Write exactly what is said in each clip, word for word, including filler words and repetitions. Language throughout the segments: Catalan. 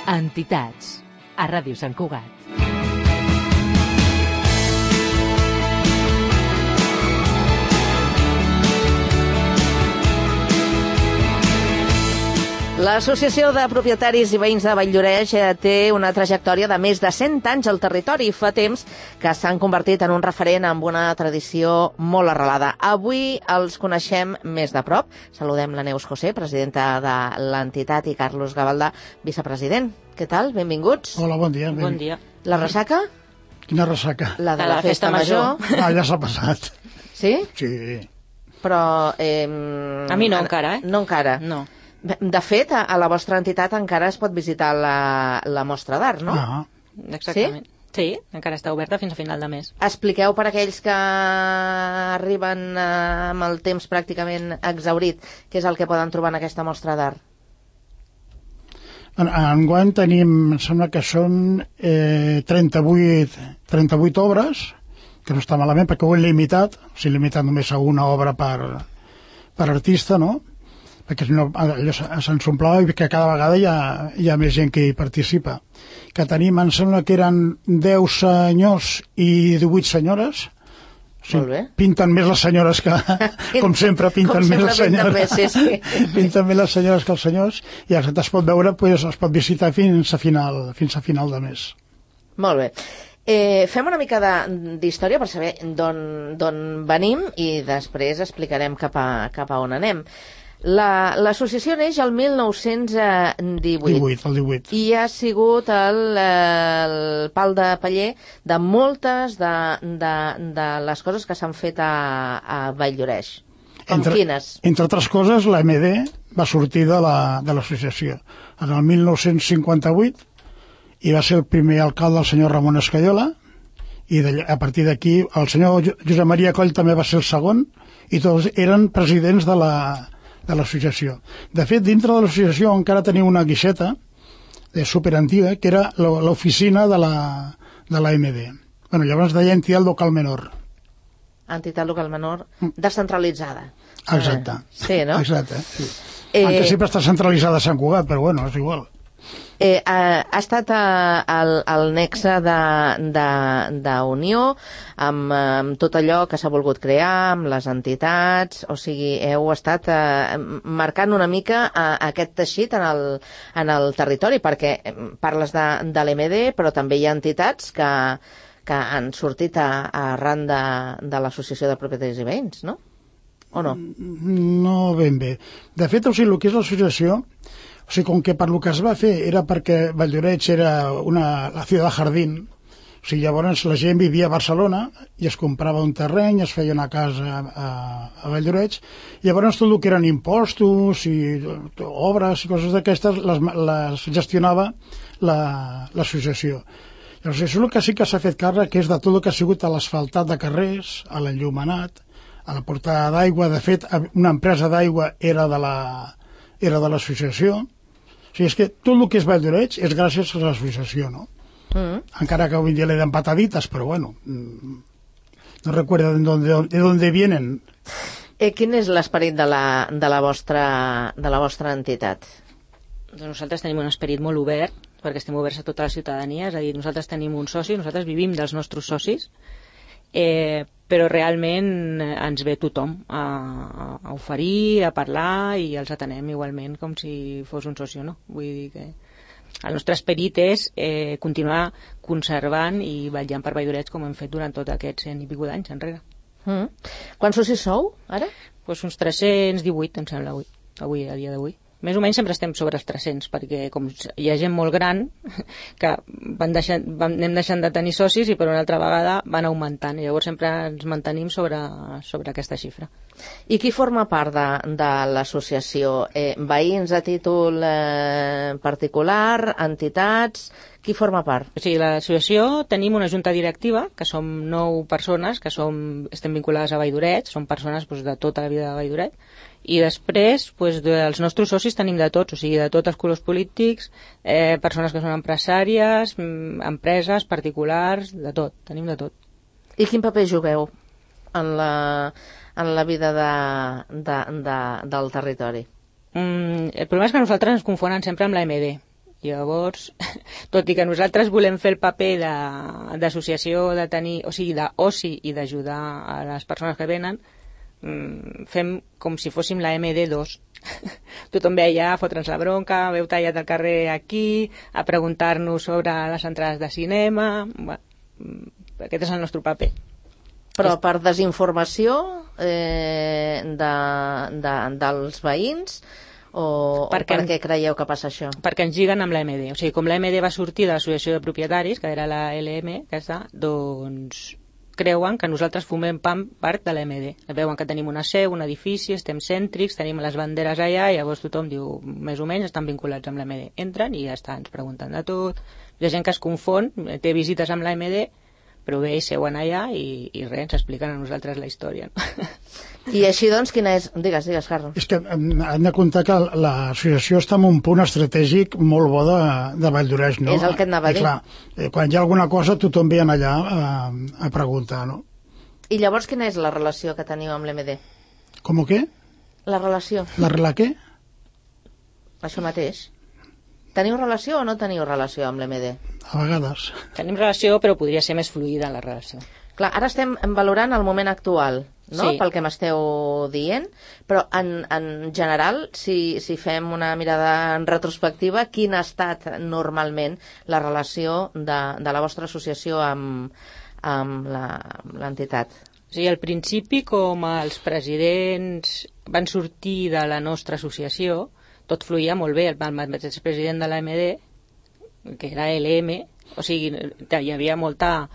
Entitats, a Ràdio Sant Cugat. L'Associació de Propietaris i Veïns de Vall-lloreix té una trajectòria de més de cent anys al territori i fa temps que s'han convertit en un referent amb una tradició molt arrelada. Avui els coneixem més de prop. Saludem la Neus José, presidenta de l'entitat, i Carlos Gavaldà, vicepresident. Què tal? Benvinguts. Hola, bon dia. Bon dia. La ressaca? Quina ressaca? La de la, la festa, festa major. major. Ah, ja s'ha passat. Sí? Sí. Però... Eh, a mi no encara, eh? No encara. No. De fet, a la vostra entitat encara es pot visitar la, la mostra d'art, no? Ah. Exactament. Sí? Sí, encara està oberta fins a final de mes. Expliqueu per aquells que arriben amb el temps pràcticament exhaurit, què és el que poden trobar en aquesta mostra d'art? En, enguany tenim, em sembla que són eh, trenta-vuit, trenta-vuit obres, que no està malament perquè ho he limitat, o sigui, limitat només a una obra per, per artista, no? Perquè si no, allò se'ns omplava i que cada vegada hi ha, hi ha més gent que hi participa. Que tenim, em sembla que eren deu senyors i divuit senyores. Sí, molt bé. Pinten més les senyores que, com sempre, pinten com més sempre les senyores. Més, sí, sí. Pinten més les senyores que els senyors, i el que es pot veure, pues, es pot visitar fins a final, fins a final de mes. Molt bé. Eh, fem una mica d'història per saber d'on venim i després explicarem cap a, cap a on anem. L'associació la, neix el mil nou-cents divuit. divuit, el divuit. I ha sigut el, el pal de paller de moltes de, de, de les coses que s'han fet a, a Vall-lloreix. Com entre, quines? Entre altres coses, la M D va sortir de l'associació en el mil nou-cents cinquanta-vuit i va ser el primer alcalde el senyor Ramon Escaiola, i de, a partir d'aquí el senyor Josep Maria Coll també va ser el segon, i tots eren presidents de la de l'associació. De fet, dintre de l'associació encara tenia una guixeta eh, superantiga, que era l'oficina de la, de la M D. Bueno, llavors deia entitat local menor. Entitat local menor descentralitzada. Exacte. Eh, sí, no? Exacte, sí. Eh, Aunque sempre està centralitzada a Sant Cugat, però bueno, és igual. Eh, ha, ha estat eh, el, el nexe d'unió amb, amb tot allò que s'ha volgut crear, amb les entitats, o sigui, heu estat eh, marcant una mica eh, aquest teixit en el, en el territori, perquè parles de, de l'M D, però també hi ha entitats que, que han sortit a, a arran de, de l'Associació de Propietaris i Veïns, no? O no? No ben bé. De fet, o sigui, el que és l'associació, o sigui, com que per lo que es va fer era perquè Vall-lloreix era una, la ciutat jardín, o sigui, llavors la gent vivia a Barcelona i es comprava un terreny, es feia una casa a, a Vall-lloreix, llavors tot el que eren impostos i obres i coses d'aquestes les, les gestionava l'associació. La, llavors, això és el que sí que s'ha fet càrrec, que és de tot el que ha sigut a l'asfaltat de carrers, a l'enllumenat, a la portada d'aigua. De fet, una empresa d'aigua era de la era de l'associació. O sigui, és que tot el que és Vall-lloreix és gràcies a l'associació, no? Mm. Encara que avui dia le dan pataditas, però bueno, no recuerdo de dónde, de dónde vienen. Eh, quin és l'esperit de, la, de, la vostra, de la vostra entitat? Nosaltres tenim un esperit molt obert, perquè estem oberts a tota la ciutadania, és a dir, nosaltres tenim un soci, nosaltres vivim dels nostres socis, eh, però realment ens ve tothom a, a oferir, a parlar, i els atenem igualment com si fos un soci o no. Vull dir que el nostre esperit és eh, continuar conservant i vetllant per Vall-lloreix com hem fet durant tots aquests cent i pico d'anys enrere. Mm. Quants socis sou, ara? Pues uns tres-cents divuit, em sembla, avui, avui a dia d'avui. Més o menys sempre estem sobre els tres-cents, perquè com hi ha gent molt gran que van deixant, van, anem deixant de tenir socis i per una altra vegada van augmentant, i llavors sempre ens mantenim sobre, sobre aquesta xifra. I qui forma part de, de l'associació? Eh, veïns a títol eh, particular, entitats... Qui forma part? O sigui, l'associació tenim una junta directiva, que som nou persones, que som, estem vinculades a Vall-lloreix, són persones doncs, de tota la vida de Vall-lloreix, i després doncs, dels nostres socis tenim de tots, o sigui, de tots els colors polítics, eh, persones que són empresàries, empreses, particulars, de tot, tenim de tot. I quin paper jugueu en la, en la vida de, de, de, del territori? Mm, el problema és que nosaltres ens confonen sempre amb la M D. Llavors, tot i que nosaltres volem fer el paper d'associació, de, de tenir, o sigui, d'oci i d'ajudar a les persones que venen, fem com si fóssim la eme de dos. Tothom ve allà a fotre'ns la bronca, veu tallat al carrer aquí, a preguntar-nos sobre les entrades de cinema. Bueno, aquest és el nostre paper. Però per desinformació eh, de, de, dels veïns o, perquè, o per què creieu que passa això? Perquè ens lliguen amb l'A eme de. O sigui, com l'A eme de va sortir de l'Associació de Propietaris, que era la ele eme, aquesta, doncs creuen que nosaltres formem part de l'A eme de. Veuen que tenim una seu, un edifici, estem cèntrics, tenim les banderes allà, i llavors tothom diu, més o menys, estan vinculats amb l'A eme de. Entren i ja està, ens pregunten de tot. Hi ha gent que es confon, té visites amb l'A eme de, però bé, seuen allà i, i res, ens expliquen a nosaltres la història. No? I així doncs, quina és? Digues, digues, Carlos. És que hem de comptar que l'associació està en un punt estratègic molt bo de, de Valldoreix, no? És el que et anava a dir. I clar, quan hi ha alguna cosa, tothom ve allà a, a preguntar, no? I llavors, quina és la relació que teniu amb l'A eme de? Com què? La relació. La relació què? Això mateix. Teniu relació o no teniu relació amb l'A eme de? A vegades. Tenim relació, però podria ser més fluida la relació. Clar, ara estem valorant el moment actual, no? Sí. Pel que m'esteu dient, però en, en general, si, si fem una mirada en retrospectiva, quina ha estat normalment la relació de, de la vostra associació amb, amb l'entitat? O sigui, al principi, com els presidents van sortir de la nostra associació, tot fluïa molt bé. El mateix president de l'A eme de, que era l'E eme, o sigui, hi havia molta...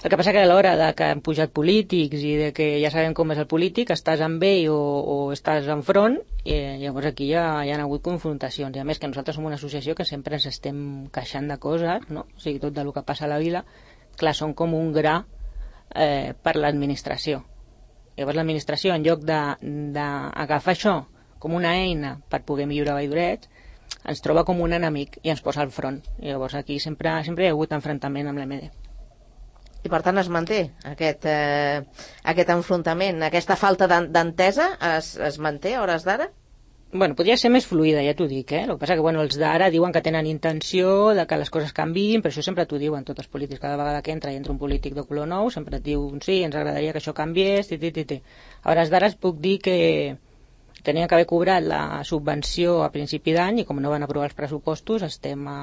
El que passa que a l'hora de que han pujat polítics i de que ja sabem com és el polític, estàs amb ell o, o estàs enfront, i llavors aquí ja hi ha hagut confrontacions. I a més que nosaltres som una associació que sempre ens estem queixant de coses, no? O sigui, tot del que passa a la vila, clar, són com un gra eh, per l'administració. Llavors l'administració, en lloc d'agafar això com una eina per poder millorar Valldoreix, ens troba com un enemic i ens posa al front. I llavors aquí sempre, sempre hi ha hagut enfrontament amb l'A eme de. I per tant es manté aquest, eh, aquest enfrontament, aquesta falta d'entesa es, es manté a hores d'ara? Bueno, podria ser més fluida, ja t'ho dic, eh? El que passa que bueno, els d'ara diuen que tenen intenció de que les coses canviïn, però això sempre t'ho diuen tots els polítics. Cada vegada que entra i entra un polític de color nou, sempre et diu, sí, ens agradaria que això canviés, ti, ti, ti, ti. A hores d'ara es puc dir que tenien que haver cobrat la subvenció a principi d'any i com no van aprovar els pressupostos estem a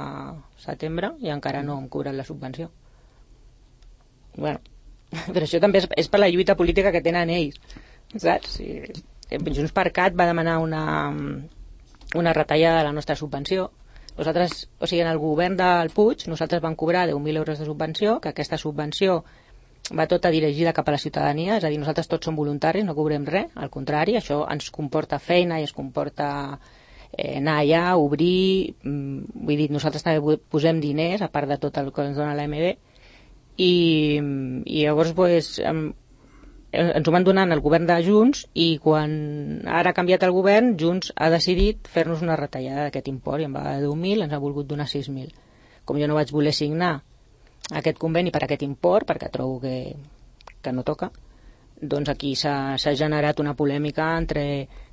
setembre i encara no hem cobrat la subvenció. Bueno, però això també és, és per la lluita política que tenen ells, saps? Sí. Junts per Cat va demanar una, una retallada de la nostra subvenció. Nosaltres, o sigui, en el govern del Puig, nosaltres vam cobrar deu mil euros de subvenció, que aquesta subvenció va tota dirigida cap a la ciutadania, és a dir, nosaltres tots som voluntaris, no cobrem res, al contrari, això ens comporta feina i ens comporta eh, anar allà, obrir, mm, vull dir, nosaltres també posem diners, a part de tot el que ens dona l'A eme de, i, i llavors pues, ens ho van donar el govern de Junts i quan ara ha canviat el govern, Junts ha decidit fer-nos una retallada d'aquest import i en va de deu mil, ens ha volgut donar sis mil. Com jo no vaig voler signar aquest conveni per aquest import, perquè trobo que, que no toca, doncs aquí s'ha generat una polèmica entre,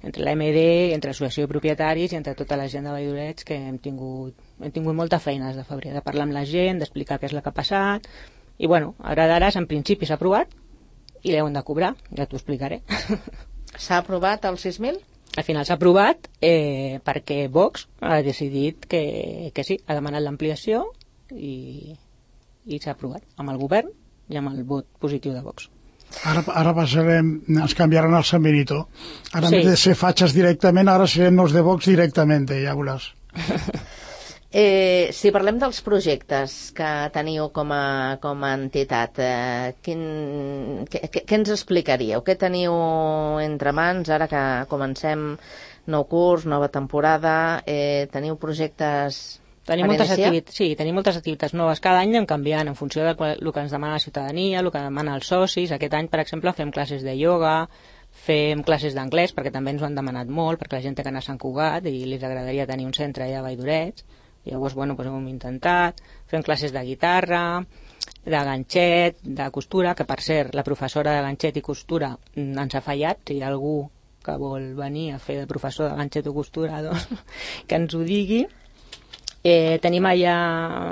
entre l'A eme de, entre l'associació de propietaris i entre tota la gent de Valldoreix, que hem tingut, hem tingut molta feina des de febrer, de parlar amb la gent, d'explicar què és el que ha passat, i bueno, ara d'ara en principi s'ha aprovat i l'heu de cobrar, ja t'ho explicaré. S'ha aprovat els sis mil? Al final s'ha aprovat eh, perquè Vox ha decidit que, que sí, ha demanat l'ampliació i, i s'ha aprovat amb el govern i amb el vot positiu de Vox. Ara, ara passarem, ens canviaran el San Benito. Ara sí. En vez de ser fatxes directament, ara serem els de Vox directament, ja veuràs. Eh, si parlem dels projectes que teniu com a, com a entitat, eh, quin, què, què ens explicaríeu? Què teniu entre mans ara que comencem nou curs, nova temporada? Eh, teniu projectes tenim moltes activitats, sí, tenim moltes activitats noves. Cada any anem canviant en funció del que ens demana la ciutadania, el que demana els socis. Aquest any, per exemple, fem classes de ioga, fem classes d'anglès, perquè també ens ho han demanat molt, perquè la gent té que anar a Sant Cugat i li agradaria tenir un centre allà a Valldoreix. Llavors, bueno, doncs ho hem intentat. Fem classes de guitarra, de ganxet, de costura, que per cert, la professora de ganxet i costura ens ha fallat. Si hi ha algú que vol venir a fer de professor de ganxet o costura, doncs que ens ho digui. Eh, tenim allà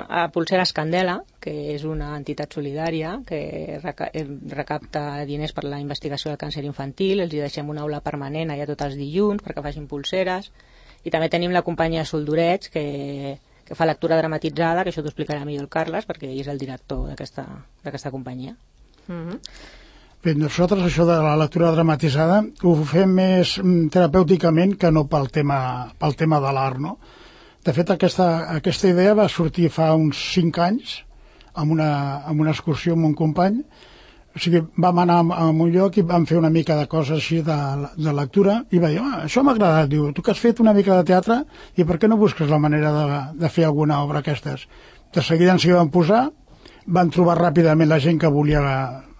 a Pulseres Candela, que és una entitat solidària que reca recapta diners per la investigació del càncer infantil. Els hi deixem una aula permanent allà tots els dilluns perquè facin pulseres. I també tenim la companyia Soldoreig, que, que fa lectura dramatitzada, que això t'ho explicarà millor el Carles, perquè ell és el director d'aquesta companyia. Mm-hmm. Bé, nosaltres això de la lectura dramatitzada ho fem més terapèuticament que no pel tema, pel tema de l'art, no? De fet, aquesta, aquesta idea va sortir fa uns cinc anys amb una, amb una excursió amb un company. O sigui, vam anar a un lloc i vam fer una mica de coses així de, de lectura i va dir, ah, això m'ha agradat. Diu, tu que has fet una mica de teatre i per què no busques la manera de, de fer alguna obra aquestes? De seguida ens hi vam posar, van trobar ràpidament la gent que volia,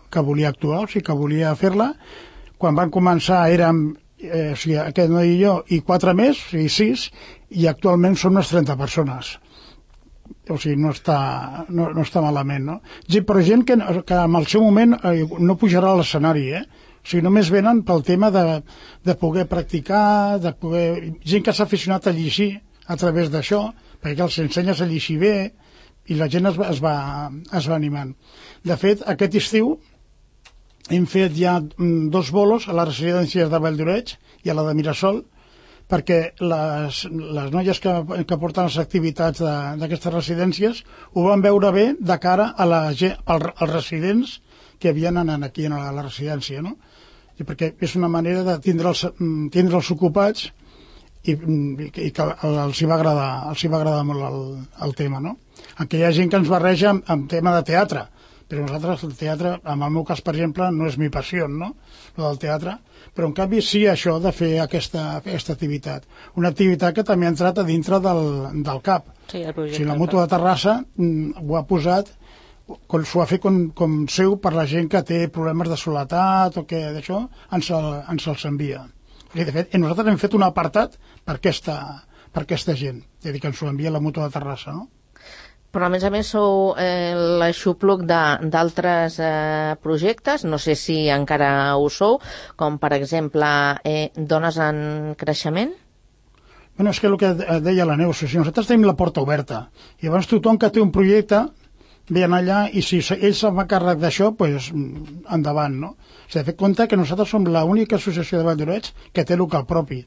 que volia actuar, o sigui, que volia fer-la. Quan van començar érem, eh, o sigui, aquest noi i jo, i quatre més, i sis, i actualment són unes trenta persones. O sigui, no està, no, no està malament, no? Però gent que, que en el seu moment eh, no pujarà a l'escenari, eh? O sigui, només venen pel tema de, de poder practicar, de poder... Gent que s'ha aficionat a llegir a través d'això, perquè els ensenyes a llegir bé, i la gent es va, es va, es va animant. De fet, aquest estiu hem fet ja dos bolos a les residències de Valldoreix i a la de Mirasol, perquè les, les noies que, que porten les activitats d'aquestes residències ho van veure bé de cara a la, al, als residents que vienen aquí a la, a la residència, no? I perquè és una manera de tindre'ls tindre'ls ocupats i, i que els hi va agradar, els hi va agradar molt el, el tema, no? Aquí hi ha gent que ens barreja amb, amb tema de teatre, però nosaltres el teatre, en el meu cas, per exemple, no és mi passió, no?, el del teatre, però en canvi sí això de fer aquesta, aquesta activitat. Una activitat que també ha entrat a dintre del, del C A P. Sí, el projecte. O sigui, la Mútua de Terrassa mm, ho ha posat, s'ho ha fet com, com seu per la gent que té problemes de soledat o que d'això, ens, el, ens els envia. I de fet, nosaltres hem fet un apartat per aquesta, per aquesta gent, és a dir, que ens ho envia la Mútua de Terrassa, no? Però a més a més sou eh, l'aixopluc d'altres eh, projectes, no sé si encara ho sou, com per exemple eh, Dones en Creixement? Bueno, és que el que deia la Neus, si nosaltres tenim la porta oberta, i llavors tothom que té un projecte ve allà i si ell se'n fa càrrec d'això, doncs endavant, no? S'ha de fer compte que nosaltres som l'única associació de Valldoreix que té local propi,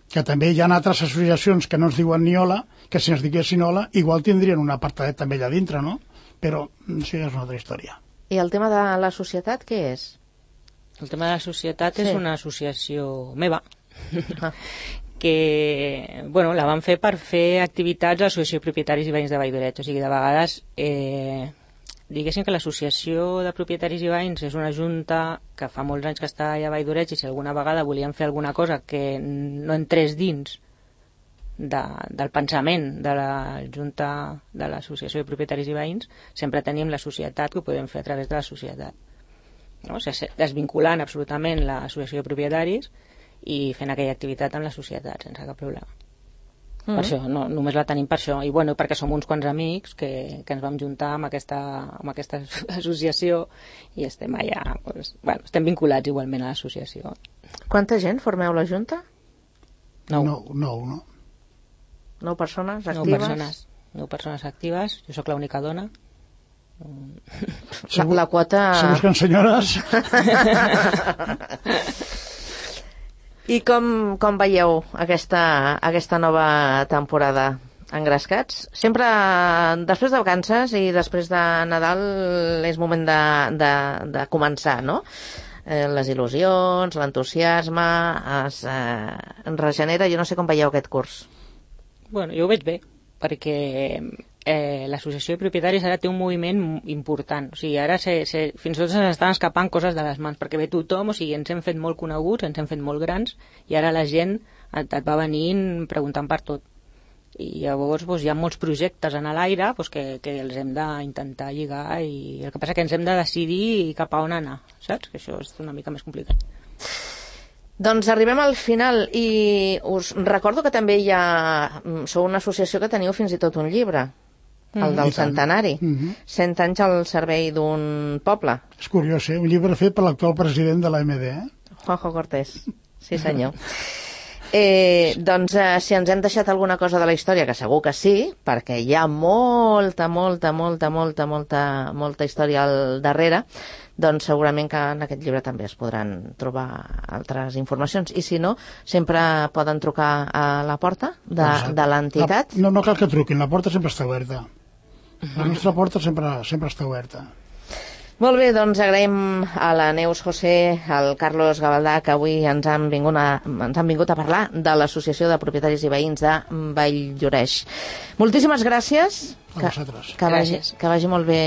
que també hi ha altres associacions que no ens diuen ni hola, que si ens diguessin hola, igual tindrien un apartadet també allà dintre, no? Però això ja és una altra història. I el tema de la societat, què és? El tema de la societat sí. És una associació meva, ah. que, bueno, la vam fer per fer activitats a l'Associació de Propietaris i Veïns de Valldoreix, o sigui, de vegades... Eh, diguéssim que l'Associació de Propietaris i Veïns és una junta que fa molts anys que està allà a Valldoreix i si alguna vegada volíem fer alguna cosa que no entrés dins de, del pensament de la junta de l'Associació de Propietaris i Veïns, sempre tenim la societat que ho podem fer a través de la societat. No? O sigui, desvinculant absolutament l'Associació de Propietaris i fent aquella activitat amb la societat sense cap problema. Mm. Per això, no, només la tenim per això. I bueno, perquè som uns quants amics que, que ens vam juntar amb aquesta, amb aquesta associació i estem allà, doncs, bueno, estem vinculats igualment a l'associació. Quanta gent formeu la Junta? Nou. Nou, nou, no? Nou persones actives? Nou persones, nou persones actives. Jo sóc l'única dona. La, la quota... Se busquen senyores... I com, com veieu aquesta, aquesta nova temporada, Engrescats? Sempre després de vacances i després de Nadal és moment de, de, de començar, no? Eh, les il·lusions, l'entusiasme, es eh, regenera. Jo no sé com veieu aquest curs. Bueno, jo ho veig bé, perquè eh, l'associació de propietaris ara té un moviment important. O sigui, ara se, se, fins i tot se'ns estan escapant coses de les mans, perquè ve tothom, o sigui, ens hem fet molt coneguts, ens hem fet molt grans, i ara la gent et, et va venint preguntant per tot. I llavors doncs, hi ha molts projectes en l'aire doncs, que, que els hem d'intentar lligar, i el que passa que ens hem de decidir cap a on anar, saps? Que això és una mica més complicat. Doncs arribem al final i us recordo que també hi ha... Sou una associació que teniu fins i tot un llibre, el del centenari. Mm-hmm. cent anys al servei d'un poble. És curiós, eh? Un llibre fet per l'actual president de l'A M D, eh? Juanjo Cortés. Sí, senyor. Eh, doncs eh, si ens hem deixat alguna cosa de la història, que segur que sí, perquè hi ha molta, molta, molta, molta, molta, molta història al darrere, doncs segurament que en aquest llibre també es podran trobar altres informacions. I si no, sempre poden trucar a la porta de, de l'entitat. No, no cal que truquin, la porta sempre està oberta. La nostra porta sempre, sempre està oberta. Molt bé, doncs agraïm a la Neus José, al Carlos Gavaldà, que avui ens han vingut a, ens han vingut a parlar de l'Associació de Propietaris i Veïns de Valldoreix. Moltíssimes gràcies. A vosaltres. Que, que, vagi, que vagi molt bé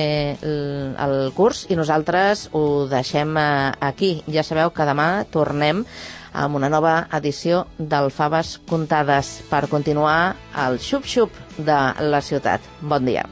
el, el curs i nosaltres ho deixem aquí. Ja sabeu que demà tornem amb una nova edició del Faves Contades per continuar el xup-xup de la ciutat. Bon dia.